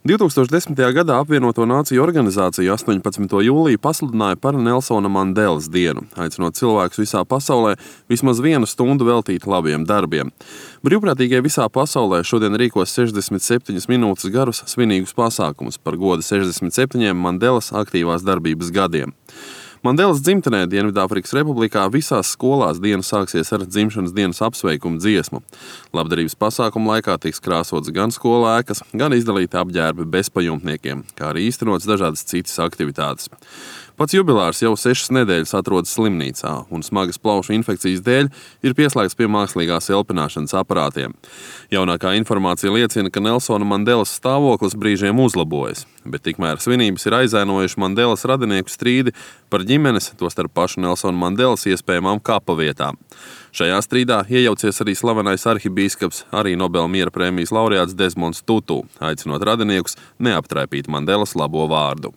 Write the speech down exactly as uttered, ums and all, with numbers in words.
divtūkstoš desmitajā gadā Apvienoto Nāciju organizācija astoņpadsmito jūliju pasludināja par Nelsona Mandelas dienu, aicinot cilvēkus visā pasaulē vismaz vienu stundu veltīt labiem darbiem. Brīvprātīgie visā pasaulē šodien rīkos sešdesmit septiņas minūtes garus svinīgus pasākumus par godu sešdesmit septiņiem Mandelas aktīvās darbības gadiem. Mandelas dzimtenē Dienvidāfrikas Republikā visās skolās diena sāksies ar dzimšanas dienas apsveikumu dziesmu. Labdarības pasākumu laikā tiks krāsots gan skolu ēkas, gan izdalīti apģērbi bezpajumtniekiem, kā arī īstenots dažādas citas aktivitātes. Pats jubilārs jau sešas nedēļas atrodas slimnīcā un smagas plaušu infekcijas dēļ ir pieslēgts pie mākslīgās elpināšanas aparātiem. Jaunākā informācija liecina, ka Nelsona Mandelas stāvoklis brīžiem uzlabojas, bet tikmēr svinības ir aizēnojuši Mandelas radinieku strīdi par ģimenes, tostarp pašu Nelsona Mandelas iespējamām kapa vietām. Šajā strīdā iejaucies arī slavenais arhibīskaps, arī Nobela miera prēmijas laureāts Desmonds Tutu, aicinot radiniekus neaptraipīt Mandelas labo vārdu.